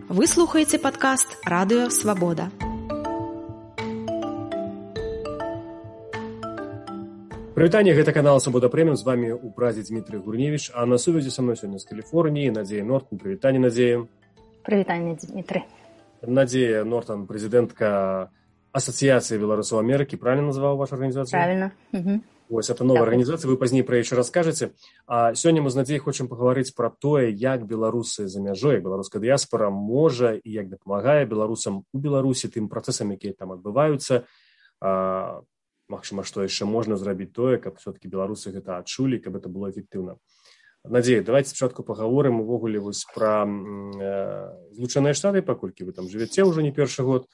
Вы слухаеце падкаст «Радыё Свабода». Прывітанне, гэта канал «Свабода Прэміум». З вами ў празе Дмітрий Гурневич, а на сувязі са мной сёння з Каліфорніі Надзея Нортон. Прывітанне, Надзея. Прывітанне, Дмітрий. Надзея Нортон, прэзідэнтка Асацыяцыі беларусаў Амерыкі. Правильно назваў вашу арганізацыю? Правильно. Угу. Вось, это новая арганізацыя, вы пазней пра яе раскажаце. А сёння мы з Надзеяй хочам пагаварыць пра тое, як беларусы за мяжой, беларуская дыяспара можа і як дапамагае беларусам у Беларусі тым працэсам, якія там адбываюцца. Магчыма, што яшчэ можна зрабіць тое, каб все-таки беларусы гэта адчулі, каб это было эфектыўна. Надзея, давайте спачатку пагаворым увогуле вось пра Злучаныя Штаты, паколькі вы там жывяце ўжо не першы год.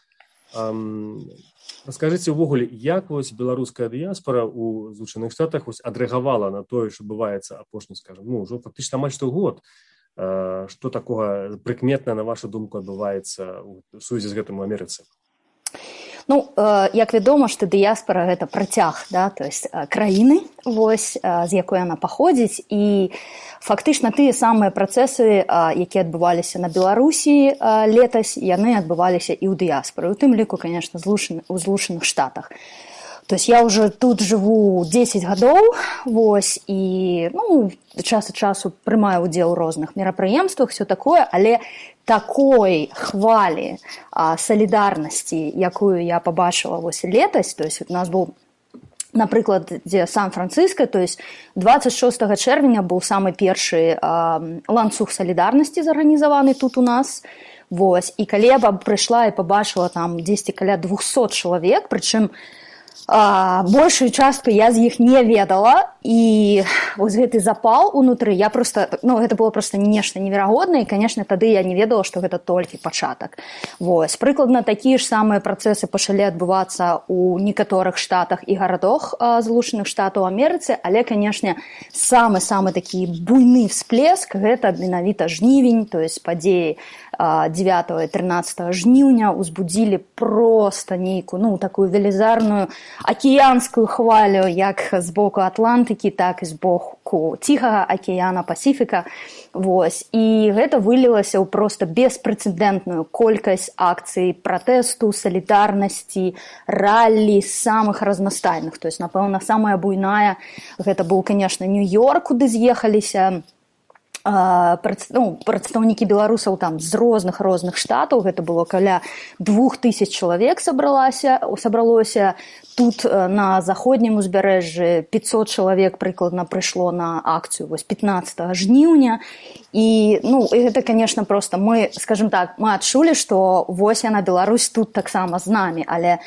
Раскажыце ўвогуле, як вось беларуская дыяспара ў Злучаных Штатах вось адрэагавала на тое, што адбываецца апошні, скажем, ўжо фактычна амаль што год. Што такога прыкметна, на вашу думку, адбываецца ў сувязі з гэтым у Амерыцы? Як вядома, што дыяспара гэта працяг, да, то есть краіны, вось, з якой яна паходзіць, і фактычна тыя самыя працэсы, якія адбываліся на Беларусі летась, яны адбываліся і ў дыяспары, у тым ліку, конечно, у Злучаных Штатах. То есть я уже тут живу 10 гадоў, вось, і, час ад часу прымаю удзел у розных мерапрыемствах, все такое, але такой хвалі салідарнасці, якую я побачила вось летась, то есть у нас быў, напрыклад, дзе Сан-Франциско, то есть 26 чэрвеня быў самы першы ланцуг салідарнасці зарганізаваны тут у нас, вось, і калі я прыйшла і побачила там 10 каля 200 чалавек, прычым большую частку я з іх не ведала, і вось гэты запал унутры, я просто, гэта было просто нешта неверагоднае, і, конечно, тады я не ведала, што гэта толькі пачатак. Вось, прыкладна такія ж самыя працэсы пачалі адбывацца ў некаторых штатах і гарадах Злучаных Штатаў Амерыцы, але, конечно, самы-самы такі буйны всплеск, гэта менавіта жнівень, то есть падзеі 9 і 13 жніўня узбудзілі проста нейкую, такую велізарную акіянскую хвалю, як з боку Атлантыкі, так і з боку Ціхага акіяна, Пасіфіка. Вось. І гэта вылілася ў проста беспрэцэдэнтную колькасць акцый пратэсту, салідарнасці, раллі самых разнастайных. То есть, напэўна, самая буйная, гэта быў, конечно, Нью-Йорк, куды з'ехаліся прадстаўнікі беларусаў там з розных штатаў, гэта было каля 2000 чалавек сабралося, тут на заходнім узбярэжжы 500 чалавек прыкладна прыйшло на акцыю вось 15 жніўня, і гэта, конечно, просто мы, скажем так, мы адчулі, што вось яна, Беларусь, тут таксама з намі, але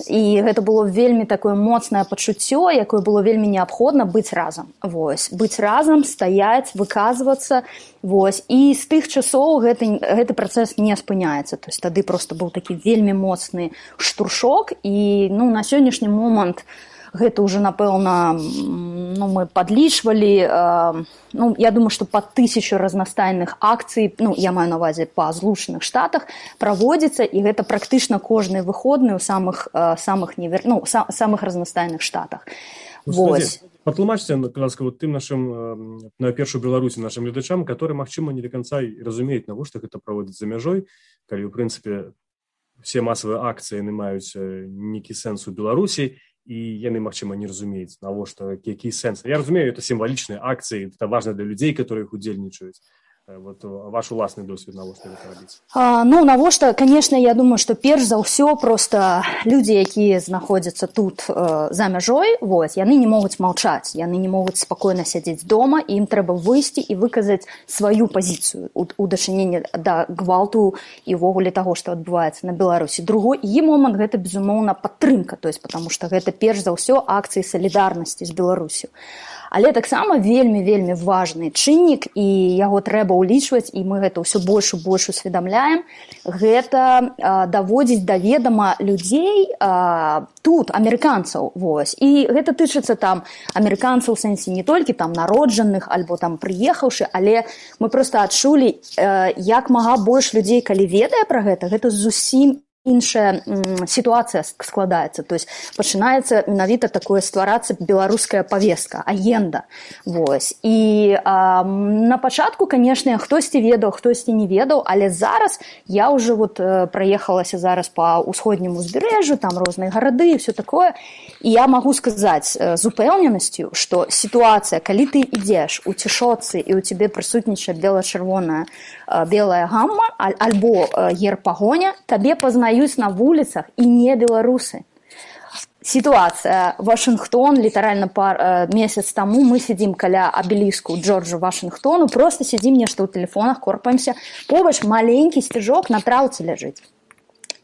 і гэта было вельмі такое моцнае пачуццё, якое было вельмі неабходна быць разам. Вось, быць разам, стаяць, выказвацца, вось. І з тых часоў гэты працэс не спыняецца. То есть тады просто быў такі вельмі моцны штуршок, і на сённяшні момант гэта ўжо, напэўна, мы падлічвалі, я думаю, што па 1000 разнастайных акцый, я маю на ўвазе па Злучаных Штатах, праводзіцца, і гэта практычна кожны выходны ў самых разнастайных штатах. Вось. Патлумачце, ласка, тым нашым, на першую Беларусі, нашым гледачам, которые, магчыма, не до конца разумеюць, навошта гэта праводзіць за мяжой, калі, ў прынцыпе, все масавыя акцыі яны маюць нейкі сэнс у Беларусі, і яны, магчыма, не разумеюць, навошта, які сэнс. Я разумею, это сімвалічныя акцыі, это важна для людзей, которые іх удзельнічаюць. Вот ваш уласны досвед, навошта гэта рабіць? Навошта, конечно, я думаю, што перш за ўсё просто людзі, якія знаходзяцца тут за мяжой, вось, яны не могуць маўчаць, яны не могуць спакойна сядзець дома, і ім трэба выйсці і выказаць сваю пазіцыю у дачыненні да гвалту і ўвогуле таго, што адбываецца на Беларусі. Другі момант гэта, безумоўна, падтрымка, то есть, потому што гэта перш за ўсё акцыі салідарнасці з Беларусю. Але таксама вельмі важны чыннік, і яго трэба ўлічваць, і мы гэта ўсё больш і больш усведамляем, гэта даводзіць да ведама людзей тут, амерыканцаў, вось. І гэта тычыцца там амерыканцаў у сэнсе не толькі там народжаных альбо там прыехаўшы, але мы проста адчулі, як мага больш людзей, калі ведае пра гэта зусім іншая сітуацыя складаецца, то есть пачынаецца менавіта такое стварацца беларуская павестка, агенда. Вось. І на пачатку, канешне, хтосьці ведаў, хтосьці не ведаў, але зараз я ўжо вот праехалася зараз па ўсходняму узбярэжжу, там розныя гарады і все такое, і я магу сказаць з упэўненасцю, што сітуацыя, калі ты ідзеш у цішоцы і ў цябе прысутнічае бела-чырвоная белая гамма альбо герб пагоня, табе пазнаюць на вуліцах і не беларусы. Сітуацыя Вашынгтон, літаральна месяц таму мы сядзім каля абеліску Джорджа Вашынгтону, просто сядзім нешта ў тэлефонах, корпаемся, побач маленькі сцяжок на траўцы ляжыць.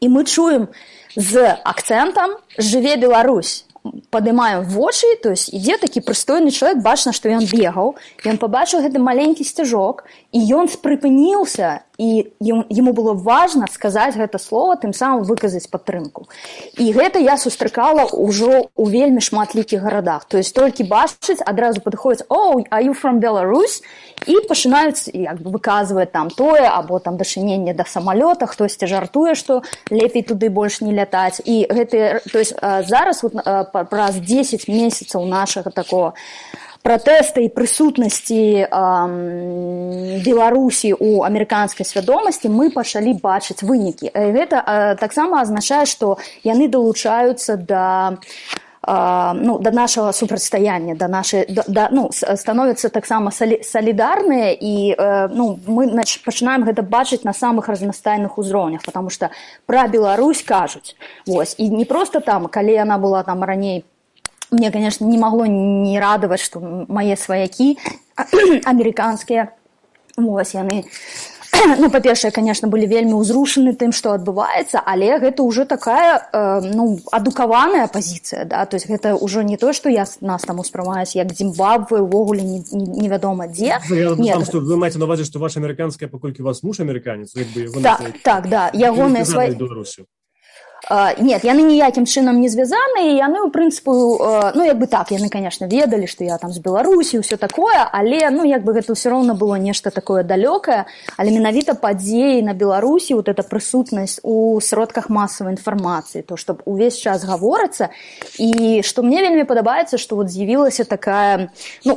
І мы чуем з акцэнтам «Жыве Беларусь». Падымаем вочы, то есть ідзе такі прыстойны чалавек, бачна, што ён бегаў, ён пабачыў гэты маленькі сцяжок, і ён спрыпыніўся, і яму было важна сказаць гэта слова, тым самым выказаць падтрымку. І гэта я сустракала ўжо ў вельмі шматлікіх гарадах. То есть толькі бачыць, адразу падыходзяць «Oh, are you from Belarus?» і пачынаюць як бы выказваць там тое, або там дачыненне да самалёта, хтосьці жартуе, што лепей туды больш не лятаць. І гэты, то есть зараз вот, праз 10 месяцаў нашага такого пратэста і прысутнасці Беларусі ў амерыканскай свядомасці мы пачалі бачыць вынікі. Гэта таксама азначае, што яны далучаюцца да нашага супрацьстаяння, становяцца таксама салідарныя, і мы пачынаем гэта бачыць на самых разнастайных узроўнях, потому што пра Беларусь кажуць. Вось. І не проста там, калі яна была там раней, мне, конечно, не магло не радаваць, што мае сваякі амерыканскія, вось, яны, па-першае, конечно, былі вельмі ўзрушаны тым, што адбываецца, але гэта ўжо такая, адукаваная пазіцыя, да, то есть гэта ўжо не то, што нас там успрымаюць як Зімбабве, увогуле невядома дзе. Нет. Вы маеце на увазе, што ваша амерыканская, паколькі у вас муж амерыканец, як бы яго... Так, да, ягоныя свае... Нет, яны ніякім чынам не звязаны, і яны, у прынцыпу, як бы так, яны, конечно, ведалі, што я там з Беларусі, ўсё такое, але, як бы гэта ўсё роўна было нешта такое далёкае, але менавіта падзеі на Беларусі, вот эта прысутнасць у сродках масавай інфармацыі, то, што увесь час гаворыцца, і што мне вельмі падабаецца, што вот з'явілася такая,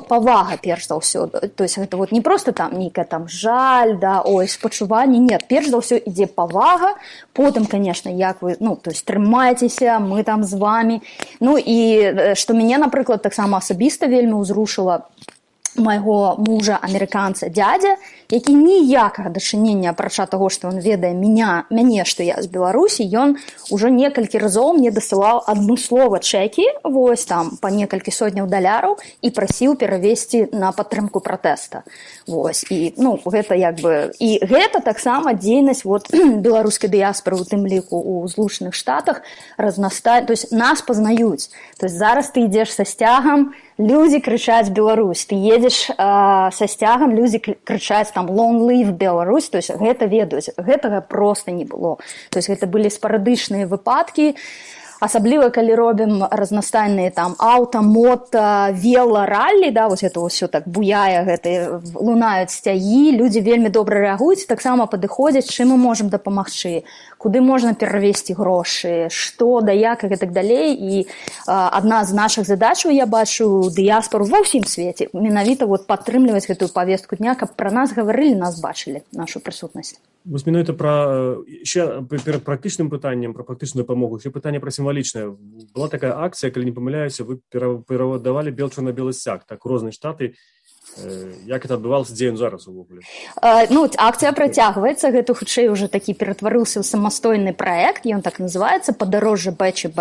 павага, перш за ўсё, то есть гэта вот не проста там нейкая там жаль, да, ой, спачуванне, нет, перш за ўсё ідзе павага, потым, конечно, як вы, то есть трымайцеся, мы там з вами. І што мяне, напрыклад, таксама асабіста вельмі ўзрушыла майго мужа, амерыканца, дядзя, які ніякага дачынення, апрача таго, што ён ведае мяне, што я з Беларусі, ён ужо некалькі разоў мне дасылаў адмыслова чэкі, вось там, па некалькі сотняў даляраў, і прасіў перавесці на падтрымку пратэста. Вось, і, гэта як бы... І гэта таксама дзейнасць вот, беларускай дыяспоры, у тым ліку ў Злучаных Штатах, разнастае, то есть нас пазнаюць. То есть зараз ты ідзеш са сцягам, людзі крычаць «Беларусь», ты едзеш са сцягам, людзі крычаць там «Long live Belarus», то есть гэта ведаюць, гэтага проста не было. То есть гэта былі спарадычныя выпадкі, асабліва калі робім разнастайныя там аўта, мото, вело, раллі, да, вось гэта ўсё так буяе, гэта лунаюць сцягі, людзі вельмі добра рэагуюць, таксама падыходзяць, чым мы можам дапамагчы, куды можна перавесці грошы, што, да як і так далей. І адна з нашых задачаў, я бачу дыяспору ва ўсім свеце, менавіта вот падтрымліваць гэтую павестку дня, каб пра нас гаварылі, нас бачылі, нашу прысутнасць. Вось менавіта пра ще перад практычным пытаннем, пра практычную дапамогу, ще пытанне пра сімвалічнае. Была такая акцыя, калі не памыляюся, вы перавадавалі бел чорна-белы сцяг, так, у розныя штаты. Як это адбывалася, дзе ён зараз увогуле? Акцыя працягваецца, гэта хутчэй уже такі ператварыўся ў самастойны праект, ён так называецца «Падарожжа БЧБ»,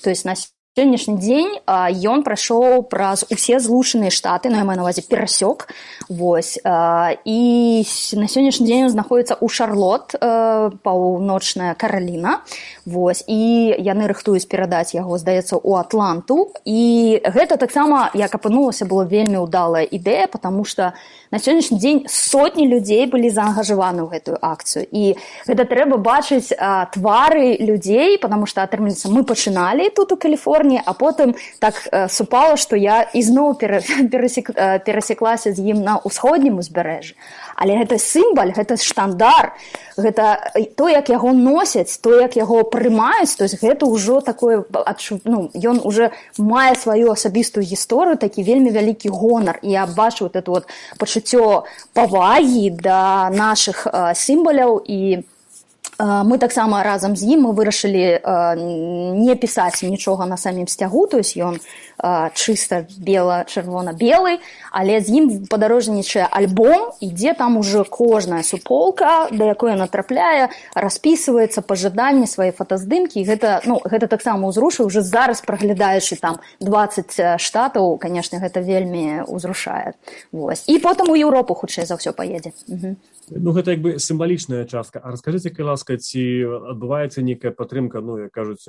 то есть на сённяшні дзень ён прайшоў праз усе Злучаныя Штаты, я маю на увазе перасёк, вось, і на сённяшні дзень ён знаходзіцца ў Шарлот, паўночная Караліна, вось, і яны рыхтуюць перадаць яго, здаецца, у Атланту, і гэта таксама, як апынулася, была вельмі ўдалая ідэя, потому што на сённяшні дзень сотні людзей былі заангажаваны ў гэтую акцыю, і гэта трэба бачыць твары людзей, потому што, атрымліваецца, мы пачыналі тут у Каліфорніі, Каліфорніі, а потым так супала, што я ізноў перасеклася з ім на ўсходнім узбярэжжы. Але гэта сімвал, гэта штандар, гэта то, як яго носяць, то, як яго прымаюць, то есть гэта ўжо такое, ну, ён уже мае сваю асабістую гісторыю, такі вельмі вялікі гонар. І я бачу вот это вот пачуццё павагі да нашых сімваляў, і мы таксама разам з ім мы вырашылі не пісаць нічога на самім сцягу, то есть ён чыста чырвона-белы, але з ім падарожнічае альбом, ідзе там уже кожная суполка, да якой натрапляе, распісваецца пажаданні, свае фотаздымкі, і гэта, ну, гэта таксама ўзрушае, уже зараз праглядаючы там 20 штатаў, конечно, гэта вельмі ўзрушае. Вось. І потым у Еўропу хутчэй за ўсё паедзе. Ну, гэта як бы сімвалічная частка. А раскажыце, калі ласка, ці адбываецца нейкая падтрымка, ну, як кажуць,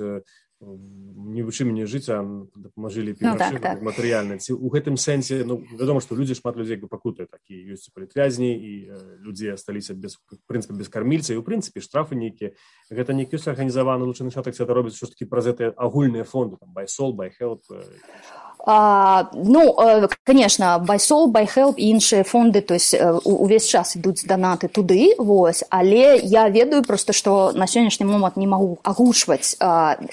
не вучы мяне жыць, а дапамажылі так. матэрыяльна. Ці ў гэтым сэнсе, ну, вядома, што людзі, шмат людзей пакутаюць, такі ёсць палітвязні, і людзі асталіся без, в прынцыпе, без кармільца, і ў прынцыпе штрафы нейкія. Гэта нейкі ёсць арганізаваны ў Злучаных Штатах, ці гэта робіць што ж такі праз гэтыя агульныя фонды, там, Buy Sol, Buy Help. Ну, конечно, Buy Sol, Buy Help і іншыя фонды, то есть увесь час ідуць данаты туды, вось, але я ведаю просто, што на сённяшні момант не магу агучваць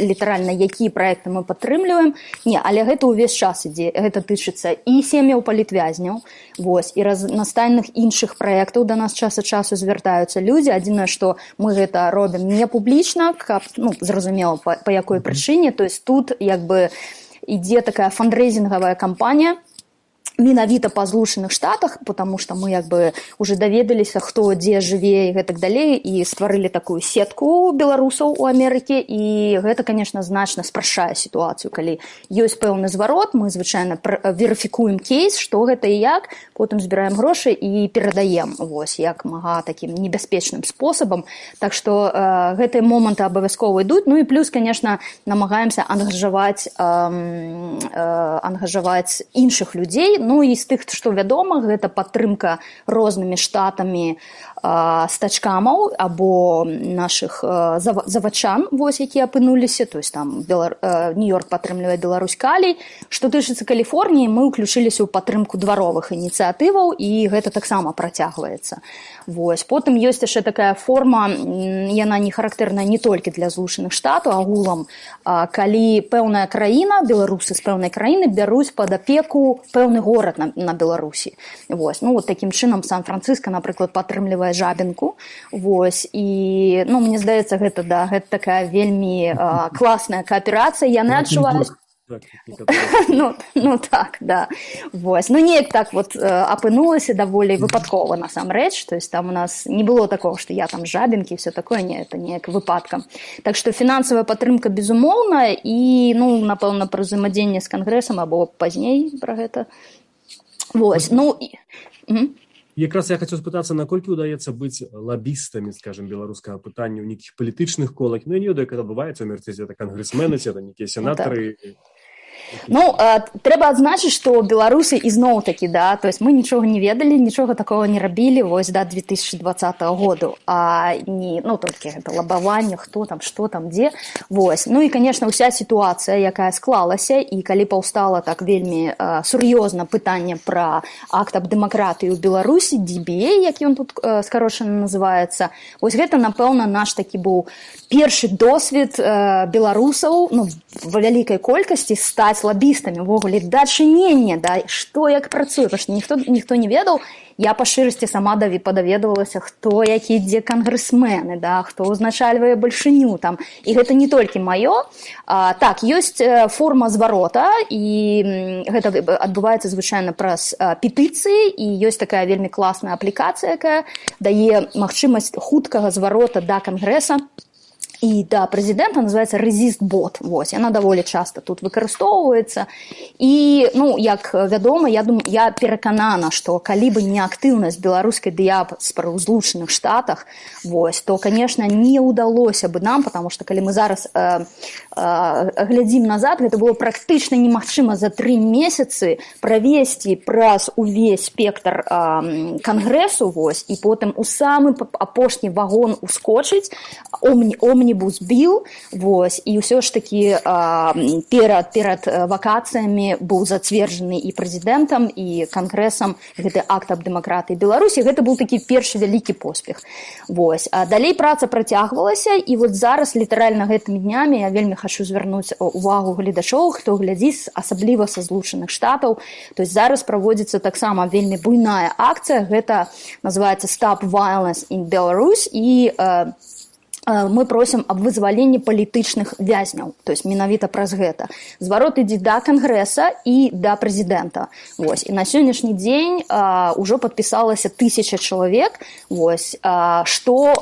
літаральна, якія праекты мы падтрымліваем. Не, але гэта увесь час ідзе, гэта тычыцца і сем'яў палітвязняў, вось, і разнастайных іншых праектаў да нас час ад часу звяртаюцца людзі. Адзінае, што мы гэта робім не публічна, каб, ну, зразумела, па якой прычыне, то есть тут, як бы, ідзе такая фандрейзингавая кампанія менавіта па Злучаных Штатах, потому что мы як бы уже даведаліся, хто дзе жыве і гэтак далей, і стварылі такую сетку беларусаў у Амерыке, і гэта, конечно, значна спрашчае сітуацыю. Калі ёсць пэўны зварот, мы звычайна верыфікуем кейс, што гэта і як, потым збіраем грошы і перадаем, вось, як мага такім небяспечным спосабам. Так што гэтыя моманты абавязкова ідуць. Ну і плюс, конечно, намагаемся ангажаваць іншых людзей. Ну і з тых, што вядома, гэта падтрымка рознымі штатамі стачкамаў або нашых завачан, вось, якія апынуліся, то есть там Нью-Йорк падтрымлівае Беларусь калій. Што тычыцца Каліфорніі, мы ўключыліся ў падтрымку дваровых ініцыятываў, і гэта таксама працягваецца. Вось. Потым ёсць яшчэ такая форма, яна не характэрная не толькі для Злучаных Штатаў, агулам, калі пэўная краіна, беларусы з пэўнай краіны бяруць пад апеку пэўны горад на Беларусі. Вось. Ну, вот такім чынам Сан-Францыска, напрыклад, падтрымлівае Жабінку. Вось. І, ну, мне здаецца, гэта, да, гэта такая вельмі класная кааперацыя. Яны адчуваюць... Ну так, да. Вось. Ну неяк так вот апынулася даволі выпадкова насамрэч, то есть там у нас не было такого, што я там Жабінкі і все такое, не, это неяк выпадкам. Так што фінансавая падтрымка безумоўна, і, ну, напэўна, пра ўзаемадзеянне з Кангрэсам або пазней пра гэта. Вось. Ну якраз я хацеў спытацца, наколькі ўдаецца быць лабістамі, скажем, беларускага пытання ў нейкіх палітычных колах. Ну, я не ведаю, як адбываецца, у Амерыцы, это кангрэсмены, это нейкія сенатары. Ну, трэба адзначыць, што беларусы ізноў-такі, да, то есть мы нічога не ведалі, нічога такого не рабілі вось да 2020 году, а не, ну, толькі гэта лабаванне, хто там, што там, дзе, вось. Ну і, конечно, ўся сітуацыя, якая склалася, і калі паўстала так вельмі сур'ёзна пытанне пра акт аб дэмакратыі ў Беларусі, DBA, як ён тут скарочана называецца, вось гэта, напэўна, наш такі быў першы досвед беларусаў, ну, ва вялікай колькасці стаць лабістамі, увогуле, дачынення, да, што як працуе, потому што ніхто не ведаў. Я па шчырасці сама падаведвалася, хто які дзе кангрэсмены, да, хто ўзначальвае бальшыню там. І гэта не толькі маё. Так, ёсць форма зварота, і гэта адбываецца звычайна праз петыцыі, і ёсць такая вельмі класная аплікацыя, якая дае магчымасць хуткага зварота да Кангрэса і да прэзідэнта, называецца ResistBot. Вось, яна даволі часта тут выкарыстоўваецца. І, ну, як вядома, я пераканана, што калі бы не актыўнасць беларускай дыяспары ў Злучаных Штатах, вось, то, конечно, не ўдалося бы нам, потому што калі мы зараз глядзім назад, гэта было практычна немагчыма за 3 месяцы правесці праз увесь спектр Кангрэсу, вось, і потым у самы апошні вагон ускочыць, омнібус біл, вось, і ўсё ж такі перад вакацыямі быў зацверджаны і прэзідэнтам, і кангрэсам гэты акт аб дэмакратыі Беларусі. Гэта быў такі першы вялікі поспех. Вось. А далей праца працягвалася, і вот зараз літаральна гэтымі днямі я вельмі хачу звярнуць увагу гледачоў, хто глядзіць, асабліва са Злучаных Штатаў. То есть зараз праводзіцца таксама вельмі буйная акцыя, гэта называецца Stop Violence in Belarus, і мы просім аб вызваленні палітычных вязняў, то есть менавіта праз гэта. Зварот ідзе да Кангрэса і да прэзідэнта. Вось. І на сённяшні дзень ўжо падпісалася 1000 чалавек, вось, што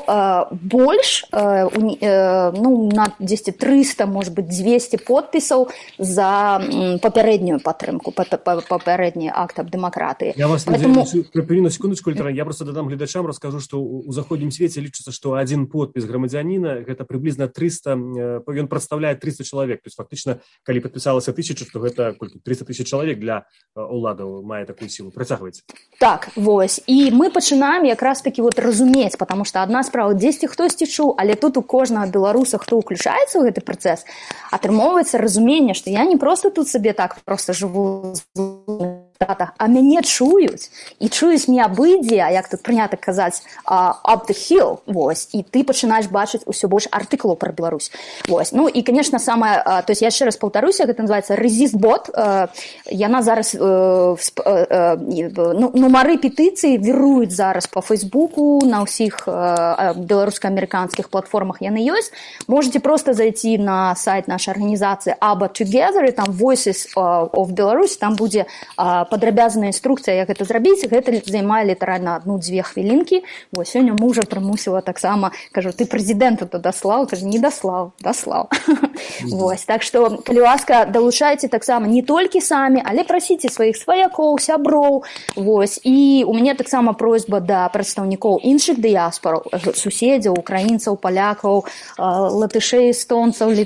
больш, на 300, может быть, 200 подпісаў за папярэднюю падтрымку, папярэдні акт аб дэмакратыі. Я вас припыню на секундочку, я просто дадам гледачам, раскажу, што ў заходнім свеце лічыцца, што адзін подпіс грамадзянина гэта приблизно 300, ён прадстаўляе 300 чалавек, то есть фактычна, калі падпісалася 1000, то гэта 300 000 чалавек для уладаў мае такую сілу. Працягвайце. Так, вось. І мы пачынаем якраз таки вот разумець, потому что адна справа, дзесьці хтосьці чуў, але тут у кожнага беларуса, хто ўключаецца ў гэты працэс, атрымоўваецца разуменне, што я не просто тут сабе так просто жыву а мяне чуюць, і чуюць не абыдзе, а як тут прынята казаць, up the hill, вось, і ты пачынаеш бачыць усё больш артыкулаў пра Беларусь. Вось. Ну і, конечно, самое, то есть я яшчэ раз паўтаруся, гэта называецца Resist-бот, яна зараз, нумары петыцыі віруюць зараз по Фейсбуку, на ўсіх беларуска-амерыканскіх платформах яны ёсць. Можете просто зайти на сайт нашай арганізацыі ABBA Together, і там Voices of Belarus, там будзе падрабязная інструкцыя, як гэта зрабіць. Гэта займае літаральна 1-2 хвілінкі. Вось, сёння мужа прымусіла таксама, кажу, ты прэзідэнту то даслаў? Кажу, не даслаў. Вось, так што, калі ласка, далучайце таксама не толькі самі, але прасіце сваіх сваякоў, сяброў. Вось, і у мяне таксама просьба да прадстаўнікоў іншых дыяспор, суседзяў, украінцаў, палякаў, латышэй, эстонцаў,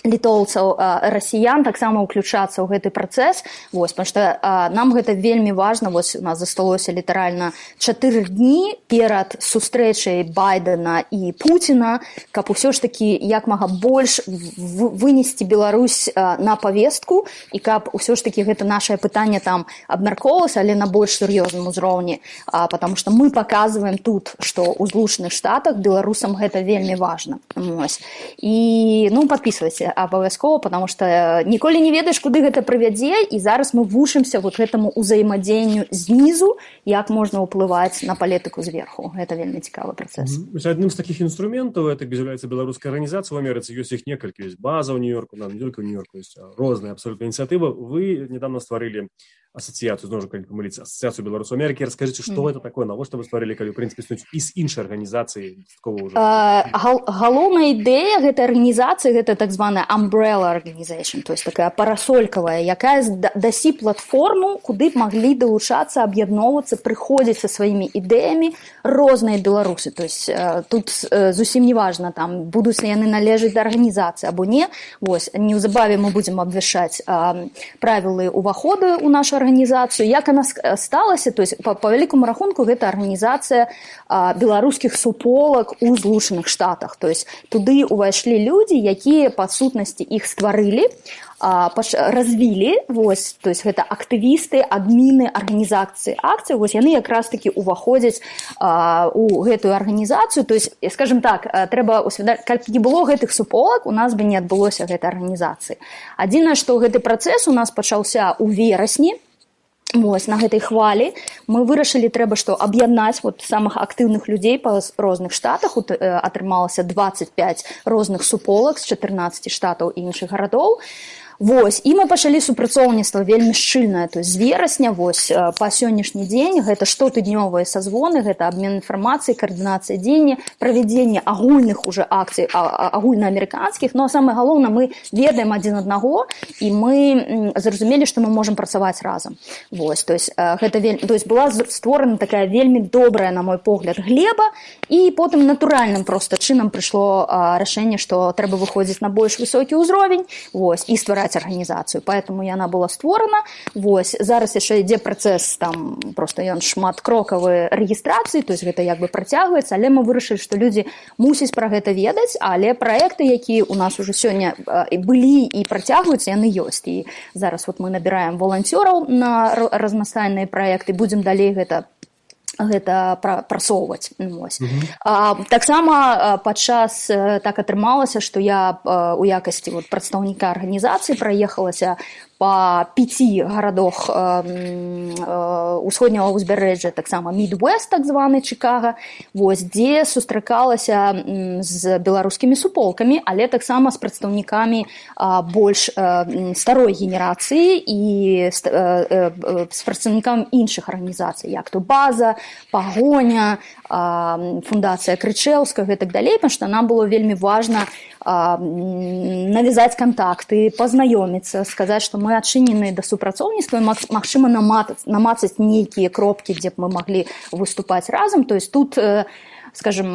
літоўцаў, расіян таксама ўключацца ў гэты працэс, вось, потому што нам гэта вельмі важна. Вось у нас засталося літаральна 4 дні перад сустрэчай Байдена і Пуціна, каб усё ж такі як мага больш вынесці Беларусь на павестку, і каб усё ж такі гэта нашае пытанне там абмяркоўвалася, але на больш сур'ёзным узроўні, потому што мы паказваем тут, што ў Злучаных Штатах беларусам гэта вельмі важна. Вось. І, падпісвайце абавязкова, потому что ніколі не ведаеш, куды гэта прывядзе, і зараз мы вучымся вот гэтаму ўзаемадзеянню знізу, як можна ўплываць на палітыку зверху. Гэта вельмі цікавы працэс. Адным з такіх інструментаў, это з'яўляецца беларуская арганізацыя ў Амерыцы, ёсць іх некалькі, ёсць база ў Нью-Йорку, не толькі ў Нью-Йорку, ёсць розныя абсолютно ініцыятывы. Вы недавно стварылі ассоциацию, знову ж калі помыліцца, ассоциацию беларусаў Амерыкі. Расскажыце, што гэта такое, навошта вы стварылі, калі, ў прынцыпе, існуюць і з іншай арганізацыі такого ўжо? Галоўная ідэя гэтай арганізацыі, гэта так званая umbrella organization, то есть такая парасолькавая, якая дасі платформу, куды б маглі далучацца, аб'ядноўвацца, прыходзіць са сваімі ідэямі розныя беларусы. То есть тут зусім не важна, там, будуць ли яны належаць да арганізацыі або не. Вось, неўзабаве мы будзем абвяшчаць правілы ўваходу ў нашу арганізацыю. Як она сталася, то есть по вялікаму рахунку гэта арганізацыя беларускіх суполак у Злучаных Штатах. То есть туды ўвайшлі людзі, якія па сутнасці іх стварылі, развілі, вось, то есть гэта актывісты, адміны арганізацыі акцыі, вось яны якраз такі ўваходзяць у гэтую арганізацыю. То есть, скажем так, трэба усвядоміць, калі не было гэтых суполак, у нас бы не адбылося гэтай арганізацыі. Адзінае, што гэты працэс у нас пачаўся ў верасні. Вось, на гэтай хвалі мы вырашылі, трэба што аб'яднаць вот самых актыўных людзей па розных штатах. Атрымалася 25 розных суполак з 14 штатаў і іншых гарадоў. Вось, і мы пачалі супрацоўніцтва вельмі шчыльнае, то есть з верасня, вось, па сённяшні дзень, гэта штотыднёвыя сазвоны, гэта абмен інфармацыі, каардынацыя дзеяння, правядзенне агульных уже акцый, агульнаамерыканскіх, но самае галоўнае, мы ведаем адзін аднаго, і мы зразумелі, што мы можам працаваць разам. Вось, то есть, гэта то есть была створана такая вельмі добрая, на мой погляд, глеба, і потым натуральным проста чынам прыйшло рашэнне, што трэба выходзіць на больш высокі ўзровень, вось, і ствараць ствараць арганізацыю, поэтому яна была створана. Вось зараз яшчэ ідзе працэс, там просто ён шматкрокавы рэгістрацыі, то есть гэта як бы працягваецца, але мы вырашылі, што людзі мусяць пра гэта ведаць, але праекты, якія у нас уже сёння былі і працягваюцца, яны ёсць. І зараз вот мы набіраем воланцёраў на разнастайныя праекты, будзем далей гэта прасоўваць. Таксама падчас так атрымалася, што я у якасці прадстаўніка арганізацыі праехалася па 5 гарадах усходняга ўзбярэжжа, таксама Midwest, так званы Чикаго, дзе сустракалася з беларускімі суполкамі, але таксама з прадстаўнікамі больш старой генерацыі і з прадстаўнікамі іншых арганізацый, як то База, Пагоня, фундацыя Крычэўскага і так далей, потому што нам было вельмі важна навязаць кантакты, пазнаёміцца, сказаць, што мы адчынены да супрацоўніцтва, магчыма намацаць нейкія кропкі, дзе б мы маглі выступаць разам. То есть тут, скажем,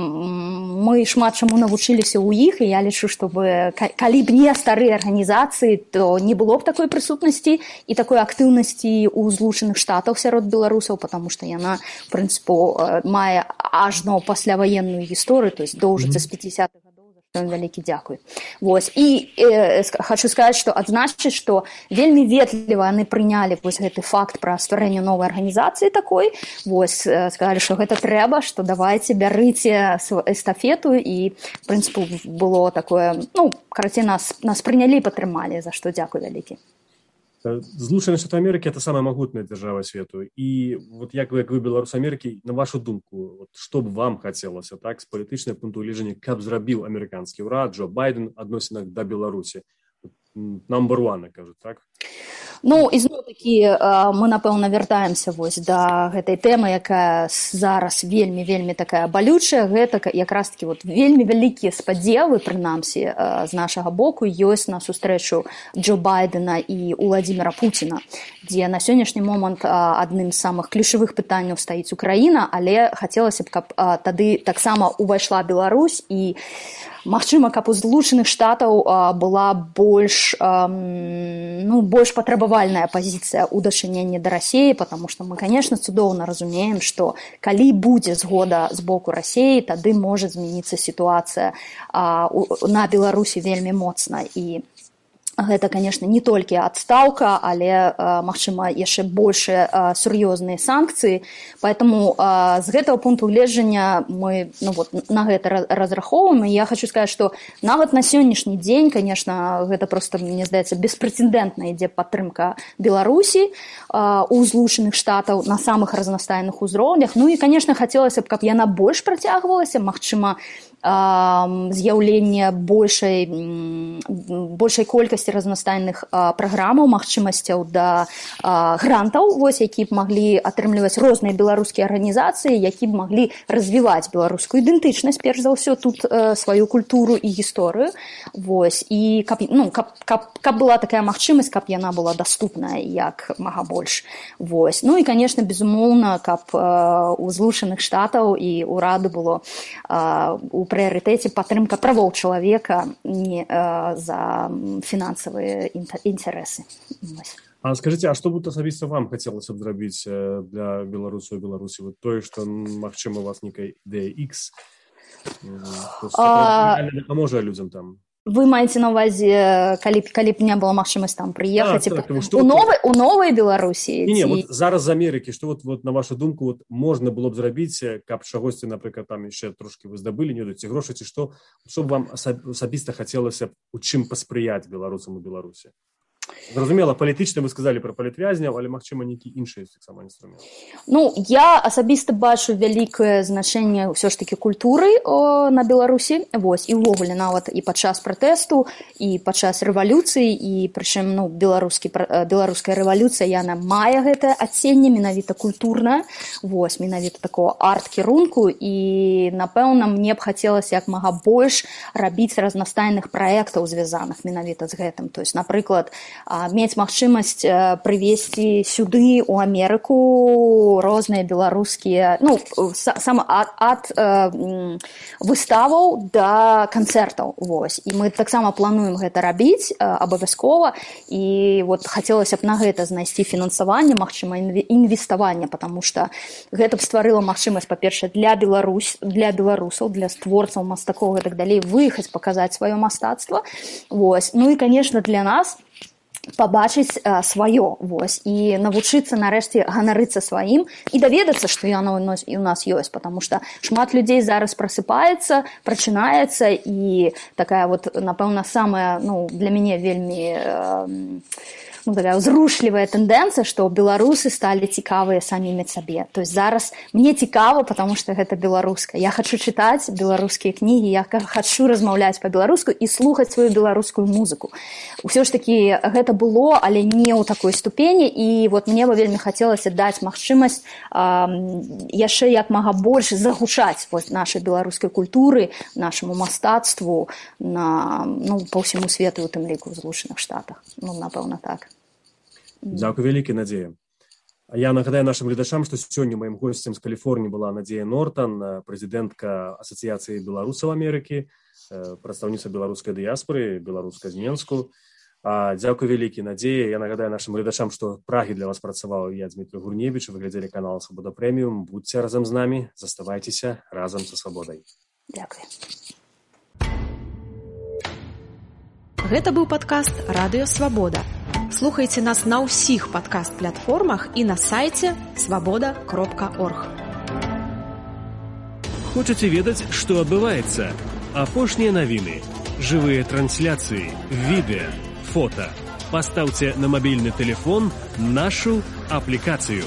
мы шмат чаму навучыліся ў іх, і я лічу, што калі б не старыя арганізацыі, то не было б такой прысутнасці і такой актыўнасці ў Злучаных Штатах сярод беларусаў, потому што яна, в прынцыпу, мае ажно пасляваенную гісторыю, то есть доўжыцца з 50-х гадоў. Вялікі дзякуй. І хочу сказаць, што адзначыць, што вельмі ветліва яны прынялі гэты факт пра стварэнне новай арганізацыі такой. Сказалі, што гэта трэба, што давайце, бярыце эстафету, і, в прынцыпу, было такое, карацей, нас прынялі і падтрымалі, за што дзякуй вялікі. Злучаныя Штаты Амерыкі – это самая магутная дзяржава свету. І як вы беларус Амерыкі, на вашу думку, што б вам хацелася, так, з палітычнага пункту гледжання, каб зрабіў амерыканскі ўрад, Джо Байден, адносінах да Беларусі? Number one, кажуць, так? Ізноў-такі мы, напэўна, вяртаемся да гэтай тэмы, якая зараз вельмі такая балючая. Гэта якраз-такі вельмі вялікія спадзевы, прынамсі, з нашага боку, ёсць на сустрэчу Джо Байдена і Уладзіміра Пуціна, дзе на сённяшні момант адным з самых ключавых пытанняў стаіць Украіна, але хацелася б, каб тады таксама увайшла Беларусь, і магчыма, каб у Злучаных Штатаў была больш патрабавальная пазіцыя ў дачыненні да Расіі, потому што мы, конечно, цудоўна разумеем, што калі будзе згода з боку Расіі, тады можа змяніцца сітуацыя на Беларусі вельмі моцна. І гэта, конечно, не толькі адстаўка, але, магчыма, яшчэ больш сур'ёзныя санкцыі. Поэтому з гэтага пункту гледжання мы на гэта разрахоўваем. І я хочу сказаць, што нават на сённяшні дзень, конечно, гэта просто, мне здаецца, беспрэцэдэнтна ідзе падтрымка Беларусі у Злучаных Штатаў на самых разнастайных узроўнях. І, конечно, хацелася б, каб яна больш працягвалася, магчыма, з'яўленне большай колькасці разнастайных праграмаў, магчымасцяў да грантаў, які б маглі атрымліваць розныя беларускія арганізацыі, які б маглі развіваць беларускую ідэнтычнасць, перш за ўсё, тут сваю культуру і гісторыю. І каб была такая магчымасць, каб яна была даступная як мага больш. І, конечно, безумоўна, каб у Злучаных Штатаў і ўраду было у прыярытэце падтрымка правоў чалавека, не за фінансавыя інтарэсы. А скажыце, а што б асабіста вам хацелася б зрабіць для беларусаў і Беларусі? Тое, што, магчыма, у вас нейкая ідэя X, дапаможа людзям там? Вы маеце на ўвазе, калі б не была магчымасць там прыехаць у новай Беларусі? Не, зараз з Амерыкі, што на вашу думку можна было б зрабіць, каб чагосьці, напрыклад, там яшчэ трошкі вы здабылі, не ведаеце грошы, ці што б вам асабіста хацелася б у чым паспрыяць беларусам у Беларусі? Зразумела, палітычна вы сказалі пра палітвязняў, але, магчыма, нейкі іншы таксама інструмент. Я асабіста бачу вялікае значэнне ўсё ж такі культуры на Беларусі, і ўвогуле нават і падчас пратэсту, і падчас рэвалюцыі, і прычым беларуская рэвалюцыя, яна мае гэтае адценне менавіта культурнае, менавіта такого арт-кірунку, і, напэўна, мне б хацелася як мага больш рабіць разнастайных праектаў, звязаных менавіта з гэтым. То есть, напрыклад, мець магчымасць прывезці сюды у Амерыку розныя беларускія, ну, сам ад выставаў да канцэртаў. Вось. І мы таксама плануем гэта рабіць абавязкова, і вот хацелася б на гэта знайсці фінансаванне, магчыма, інвеставанне, потому што гэта б стварыла магчымасць, па-першае, для беларусаў, для творцаў, мастакоў і так далей, выехаць, паказаць сваё мастацтва. Вось. Ну і, конечно, для нас пабачыць сваё, вось, і навучыцца нарэшце ганарыцца сваім і даведацца, што яно і ў нас ёсць, потому што шмат людзей зараз прасыпаецца, прачынаецца, і такая вот, напэўна, самая, ну, для мяне вельмі такая ўзрушлівая тэндэнцыя, што беларусы сталі цікавыя самімі сабе. То есть зараз мне цікава, потому што гэта беларускае. Я хачу чытаць беларускія кнігі, я хачу размаўляць па-беларуску і слухаць сваю беларускую музыку. Усё ж такі гэта было, але не ў такой ступені, і вот мне бы вельмі хацелася даць магчымасць яшчэ як мага больш загучаць вось нашай беларускай культуры, нашаму мастацтву па ўсяму свету, у тым ліку ў Злучаных Штатах. Ну, напэўна, так. Дзякуй вялікі, Надзея. Я нагадаю нашим гледачам, што сёння маім госцем з Каліфорніі была Надзея Нортан, прэзідэнтка Асацыяцыі беларусаў Амерыкі, прадстаўніца беларускай дыяспоры, беларуска з Менску. Дзякуй вялікі, Надзея. Я нагадаю нашим гледачам, што Прагі для вас працаваў я, Дмітрий Гурневіч, вы глядзелі канал Свабода Прэміум. Будьце разам з намі, заставайцеся разам са свабодай. Дзякуй. Гэта быў падкаст «Радыё Свабода». Слухайце нас на ўсіх падкаст-платформах і на сайце свабода.орг. Хочаце ведаць, што адбываецца? Апошнія навіны, жывыя трансляцыі, відэа, фота. Пастаўце на мабільны тэлефон нашу аплікацыю.